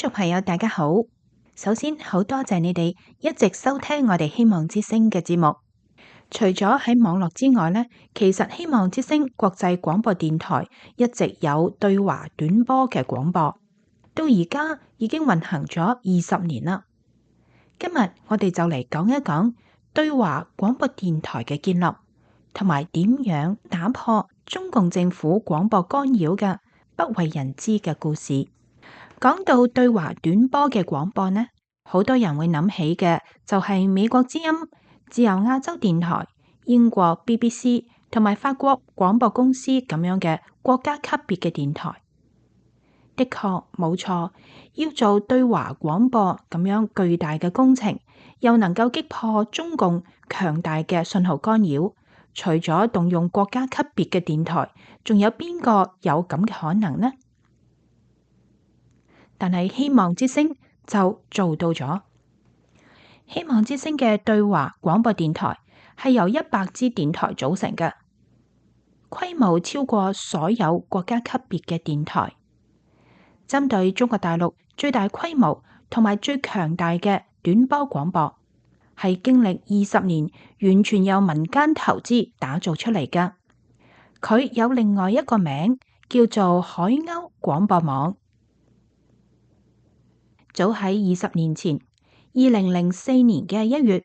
眾朋友，大家好。首先，好多謝你哋一直收聽我哋希望之聲嘅節目。除咗喺網絡之外呢，其實希望之聲國際廣播電台一直有對華短波嘅廣播，到而家已經運行咗20年啦。今日我哋就嚟講一講對華廣播電台嘅建立，同埋點樣打破中共政府廣播干擾嘅不為人知嘅故事。講到對華短波嘅廣播呢，好多人會諗起嘅就係美國之音、自由亞洲電台、英國 BBC 同埋法國廣播公司咁樣嘅國家級別嘅電台。的確冇錯，要做對華廣播咁樣巨大嘅工程，又能夠擊破中共強大嘅信號干擾，除咗動用國家級別嘅電台，仲有邊個有咁嘅可能呢？但係希望之聲就做到咗。希望之聲嘅對華廣播電台係由100支電台組成嘅，規模超過所有國家級別嘅電台。針對中國大陸最大規模同埋最強大嘅短波廣播，係經歷20年完全由民間投資打造出嚟㗎。佢有另外一個名叫做海鷗廣播網。早喺20年前，2004年嘅1月，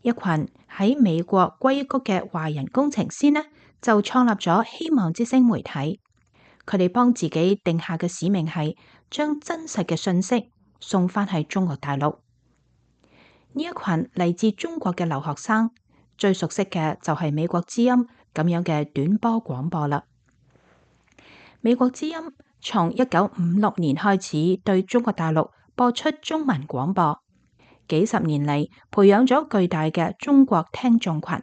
一群喺美國硅谷嘅華人工程師呢，就創立咗希望之聲媒體。佢哋幫自己定下嘅使命係將真實嘅信息送返去中國大陸。呢一群嚟自中國嘅留學生，最熟悉嘅就係美國之音咁樣嘅短波廣播啦。美國之音從1956年開始對中國大陸播出中文廣播，幾十年嚟培養咗巨大嘅中國聽眾群。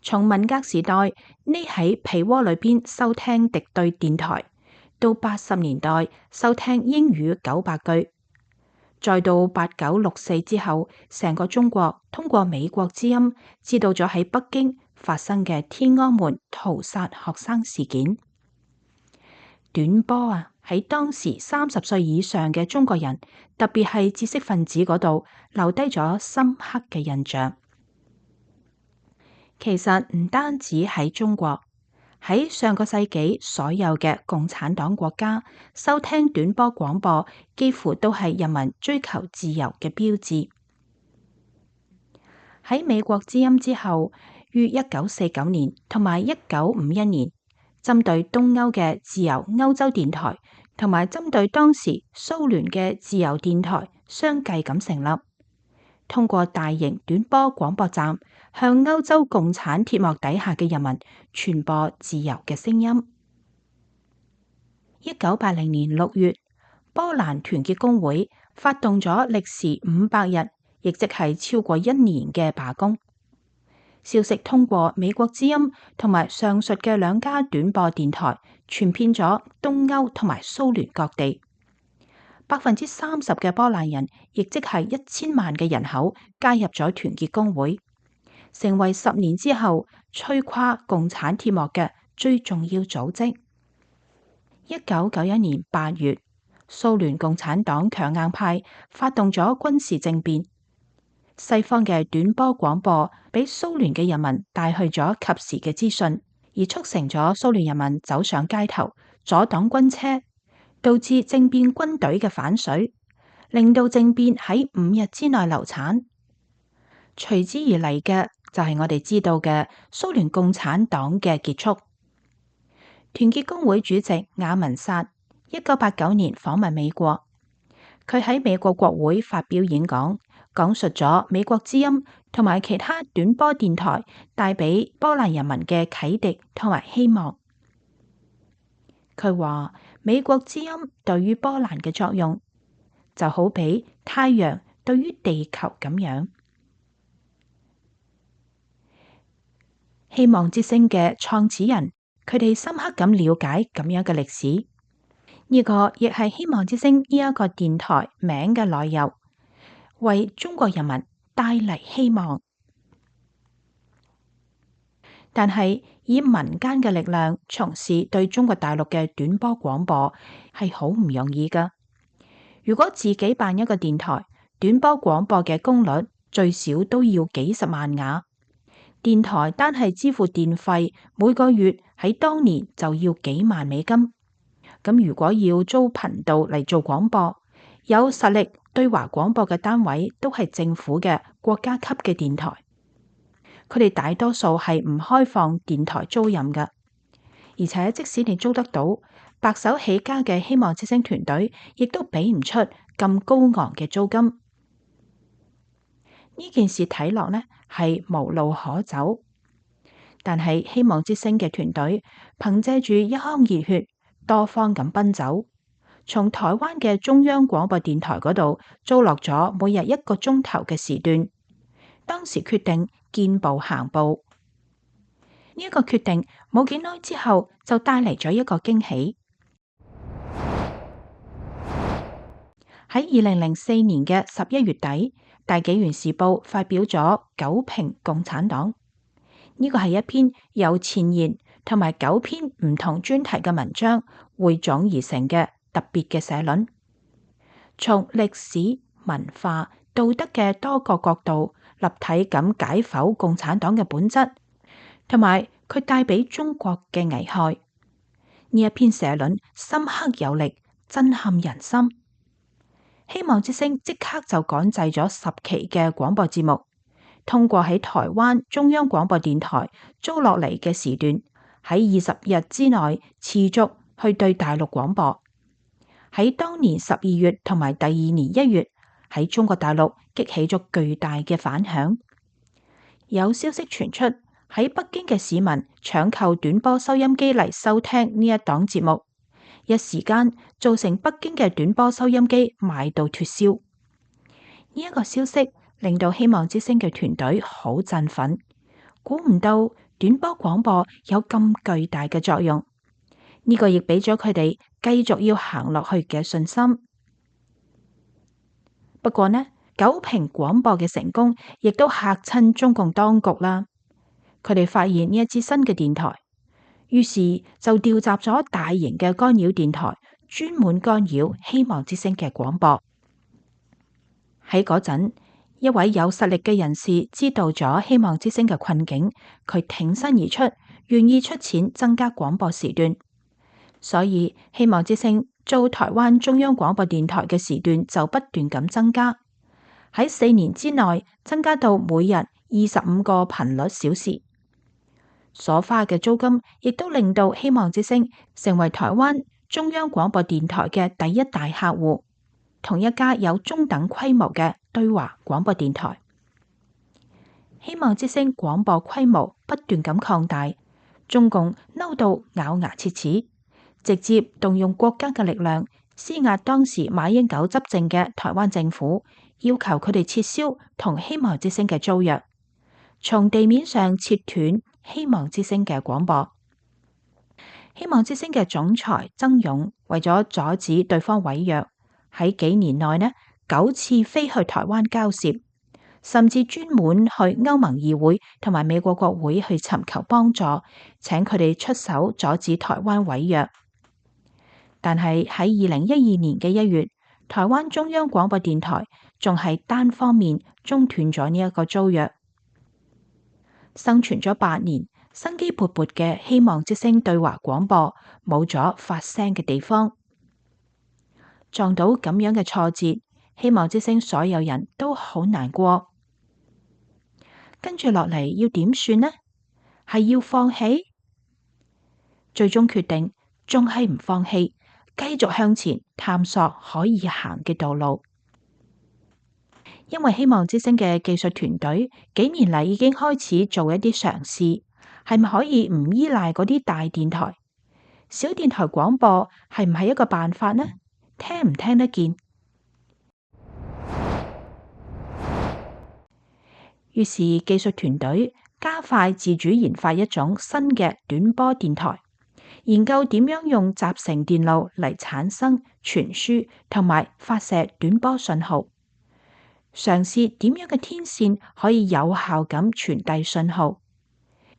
從文革時代匿喺被窩裏邊收聽敵對電台，到80年代收聽英語900句，再到8964之後，成個中國通過美國之音知道咗喺北京發生嘅天安門屠殺學生事件。短波啊，喺當時30歲以上嘅中國人，特別係知識分子嗰度留低咗深刻嘅印象。其實唔單止喺中國，喺上個世紀所有嘅共產黨國家，收聽短波廣播幾乎都係人民追求自由嘅標誌。喺美國之音之後，於1949年同埋1951年，針對東歐嘅自由歐洲電台，同埋針對當時蘇聯嘅自由電台相繼咁成立，通過大型短波廣播站，向歐洲共產鐵幕底下嘅人民傳播自由嘅聲音。1980年6月，波蘭團結工會發動咗歷時500日，亦即係超過1年嘅罷工。消息通過美國之音同埋上述嘅2家短波電台，傳遍咗東歐同埋蘇聯各地。30%嘅波蘭人，亦即係1000萬嘅人口，加入咗團結工會，成為10年之後摧垮共產鐵幕嘅最重要組織。1991年8月，蘇聯共產黨強硬派發動咗軍事政變。西方嘅短波廣播俾蘇聯嘅人民帶去咗及時嘅資訊，而促成咗蘇聯人民走上街頭，阻擋軍車，導致政變軍隊嘅反水，令到政變喺5日之內流產。隨之而嚟嘅就係我哋知道嘅蘇聯共產黨嘅結束。團結工會主席雅文薩1989年訪問美國，佢喺美國國會發表演講，講述咗美國之音同埋其他短波電台帶俾波蘭人民嘅啟迪同埋希望。佢話美國之音對於波蘭嘅作用就好比太陽對於地球咁樣。希望之聲嘅創始人，佢哋深刻咁了解咁樣嘅歷史，呢個亦係希望之聲呢一個電台名嘅來由，為中國人民帶嚟希望。但係以民間嘅力量從事對中國大陸嘅短波廣播係好唔容易噶。如果自己辦一個電台，短波廣播嘅功率最少都要幾十萬瓦。電台單係支付電費，每個月喺當年就要幾萬美金。咁如果要租頻道嚟做廣播，有實力對華廣播嘅單位都係政府嘅國家級嘅電台，佢哋大多數係唔開放電台租賃嘅。而且即使你租得到，白手起家嘅希望之聲團隊亦都俾唔出咁高昂嘅租金。呢件事睇落呢係無路可走，但係希望之聲嘅團隊憑借住一腔熱血，多方咁奔走，從台灣嘅中央廣播電台嗰度租落咗每日1個鐘頭嘅時段。當時決定見步行步，呢一個決定冇幾耐之後就帶嚟咗一個驚喜。喺2004年嘅11月底，大紀元時報發表咗9評共產黨，呢個係一篇由前言同埋9篇唔同專題嘅文章匯總而成嘅特別嘅社論，從歷史、文化、道德嘅多個角度立體咁解剖共產黨嘅本質，同埋佢帶俾中國嘅危害。呢一篇社論深刻有力，震撼人心。希望之聲即刻就趕製咗10期嘅廣播節目，通過喺台灣中央廣播電台租落嚟嘅時段，喺20日之內持續去對大陸廣播。喺當年12月同埋第二年1月，喺中國大陸激起咗巨大嘅反響。有消息傳出，喺北京嘅市民搶購短波收音機嚟收聽呢一檔節目，一時間造成北京嘅短波收音機賣到脫銷。呢一個消息令到希望之聲嘅團隊好振奮，估唔到短波廣播有咁巨大嘅作用。呢個亦俾咗佢哋繼續要行落去嘅信心。不過呢，9評廣播嘅成功亦都嚇親中共當局啦。佢哋發現呢一支新嘅電台，於是就調集咗大型嘅干擾電台，專門干擾希望之聲嘅廣播。喺嗰陣，一位有實力嘅人士知道咗希望之聲嘅困境，佢挺身而出，願意出錢增加廣播時段。所以希望之聲做台灣中央廣播電台嘅時段就不斷咁增加，喺4年之內增加到每日25個頻率小時。所花嘅租金亦都令到希望之聲成為台灣中央廣播電台嘅第一大客戶，同一家有中等規模嘅對華廣播電台。希望之聲廣播規模不斷咁擴大，中共嬲到咬牙切齒，直接動用國家嘅力量施壓當時馬英九執政嘅台灣政府，要求佢哋撤銷同希望之聲嘅租約，從地面上切斷希望之聲嘅廣播。希望之聲嘅總裁曾勇為咗阻止對方違約，喺幾年內呢9次飛去台灣交涉，甚至專門去歐盟議會同埋美國國會去尋求幫助，請佢哋出手阻止台灣違約。但係喺2012年嘅1月，台灣中央廣播電台仲係單方面中斷咗呢一個租約。生存咗8年，生機勃勃嘅希望之聲對華廣播冇咗發聲嘅地方，撞到咁樣嘅挫折，希望之聲所有人都好難過。跟住落嚟要點算呢？係要放棄？最終決定仲係唔放棄，繼續向前探索可以行嘅道路。因為希望之聲嘅技術團隊幾年嚟已經開始做一啲嘗試，係咪可以唔依賴嗰啲大電台？小電台廣播係唔係一個辦法呢？聽唔聽得見？於是技術團隊加快自主研發一種新嘅短波電台，研究點樣用集成電路嚟產生、傳輸同埋發射短波信號。嘗試點樣嘅天線可以有效咁傳遞信號，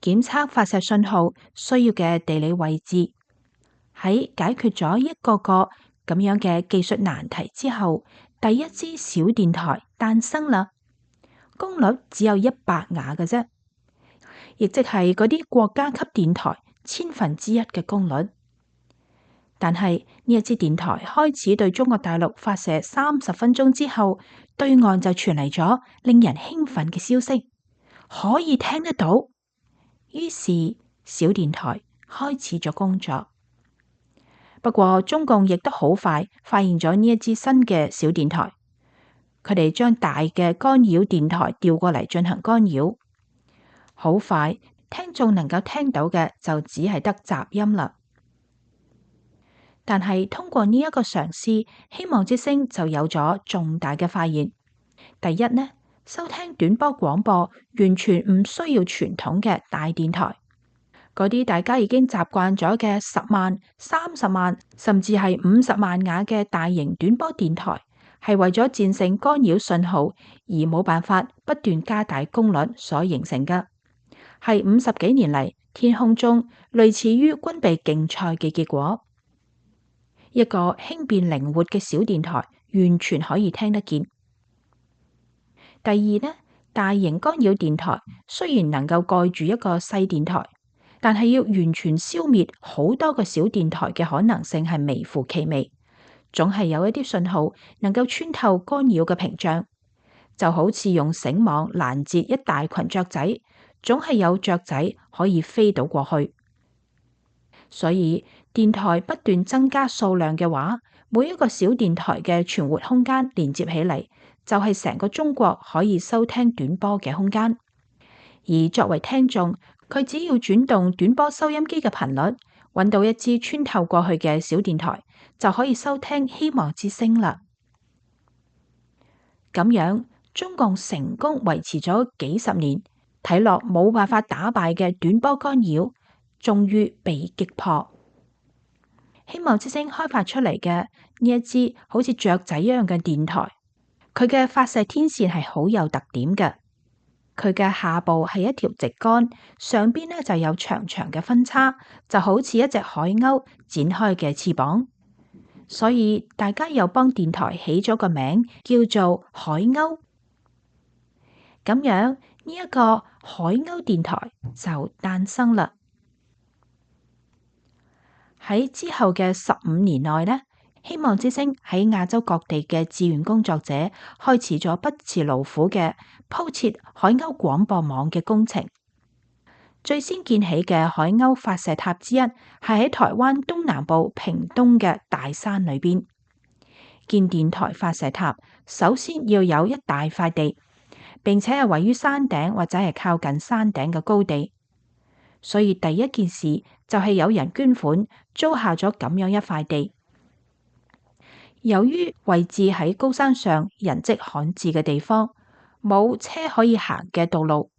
檢測發射信號需要嘅地理位置。喺解決咗一個個咁樣嘅技術難題之後，第一支小電台誕生啦。功率只有100瓦嘅啫，亦即係嗰啲國家級電台1/1000嘅功率。但係呢一支電台開始對中國大陸發射30分鐘之後，對岸就傳嚟咗令人興奮嘅消息，可以聽得到。於是小電台開始咗工作。不過中共亦都好快發現咗呢一支新嘅小電台，佢哋將大嘅干擾電台調過嚟進行干擾。好快，聽眾能夠聽到嘅就只係得雜音啦。但係通過呢一個嘗試，希望之聲就有咗重大嘅發現。第一呢，收聽短波廣播完全唔需要傳統嘅大電台。嗰啲大家已經習慣咗嘅10萬、30萬，甚至係50萬瓦嘅大型短波電台，係為咗戰勝干擾信號而冇辦法不斷加大功率所形成嘅，係50幾年嚟天空中類似於軍備競賽嘅結果。一個輕便靈活嘅小電台完全可以聽得見。第二呢，大型干擾電台雖然能夠蓋住一個細電台，但係要完全消滅好多個小電台嘅可能性係微乎其微，總係有一啲信號能夠穿透干擾嘅屏障，就好似用繩網攔截一大群雀仔，總係有雀仔可以飛到過去。所以電台不斷增加數量嘅話，每一個小電台嘅存活空間連接起嚟，就係成個中國可以收聽短波嘅空間。而作為聽眾，佢只要轉動短波收音機嘅頻率，揾到一支穿透過去嘅小電台，就可以收聽希望之聲啦。咁樣，中共成功維持咗幾十年，睇落冇辦法打敗嘅短波干擾，終於被擊破。希望之聲開發出嚟嘅呢一支好似雀仔一樣嘅電台，佢嘅發射天線係好有特點嘅。佢嘅下部係一條直杆，上邊呢就有長長嘅分叉，就好似一隻海鷗展開嘅翅膀。所以大家又幫電台起咗個名，叫做海鷗。咁樣呢一個海鷗電台就誕生啦。喺之後嘅15年內呢，希望之聲喺亞洲各地嘅志願工作者開始咗不辭勞苦嘅鋪設海鷗廣播網嘅工程。最先建起嘅海鷗發射塔之一係喺台灣東南部屏東嘅大山裏邊。建電台發射塔首先要有一大塊地，並且係位於山頂或者係靠近山頂嘅高地。所以第一件事就係有人捐款租下咗咁樣一塊地。由於位置喺高山上人跡罕至嘅地方，冇車可以行嘅道路，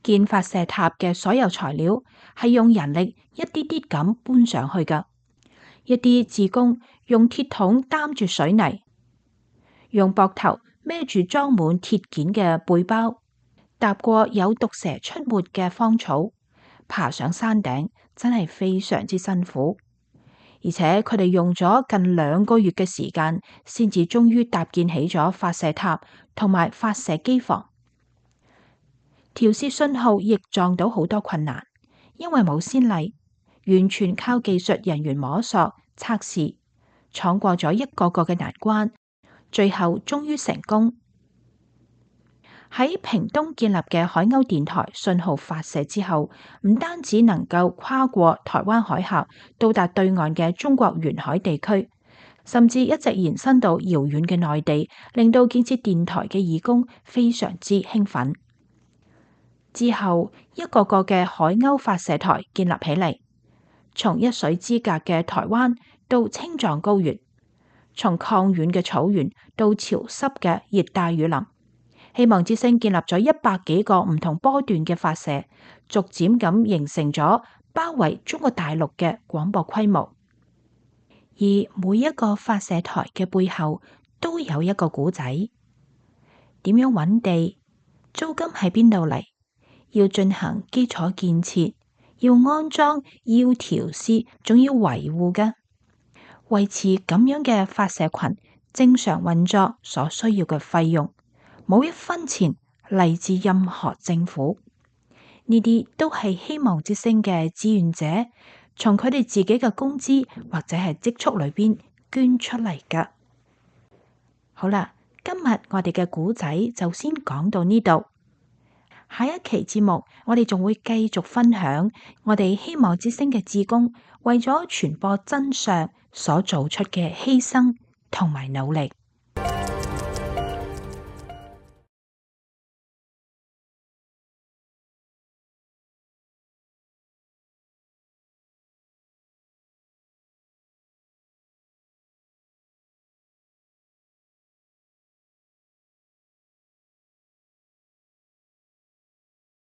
建發射塔嘅所有材料係用人力一啲啲咁搬上去㗎。一啲志工用鐵桶擔住水泥，用膊頭孭住裝滿鐵件嘅背包，踏過有毒蛇出沒嘅荒草，爬上山頂，真係非常之辛苦。而且佢哋用咗近2個月嘅時間，先至終於搭建起咗發射塔同埋發射機房。調試信號亦撞到好多困難，因為冇先例，完全靠技術人員摸索測試，闖過咗一個個嘅難關，最後終於成功。喺屏東建立嘅海鷗電台信號發射之後，唔單止能夠跨過台灣海峽到達對岸嘅中國沿海地區，甚至一直延伸到遙遠嘅內地，令到建設電台嘅義工非常之興奮。之後一個個嘅海鷗發射台建立起嚟，從一水之隔嘅台灣到青藏高原，從抗遠嘅草原到潮濕嘅熱帶雨林。希望之聲建立咗100幾個唔同波段嘅發射，逐漸咁形成咗包圍中國大陸嘅廣播規模。而每一個發射台嘅背後都有一個故仔，點樣揾地？租金喺邊度嚟？要進行基礎建設，要安裝，要調試，仲要維護㗎。維持咁樣嘅發射群正常運作所需要嘅費用，冇一分錢嚟自任何政府。呢啲都係希望之聲嘅志願者從佢哋自己嘅工資或者係積蓄裏邊捐出嚟㗎。好啦，今日我哋嘅故仔就先講到呢度。下一期節目，我哋仲會繼續分享我哋希望之聲嘅志工為咗傳播真相所做出嘅犧牲同埋努力。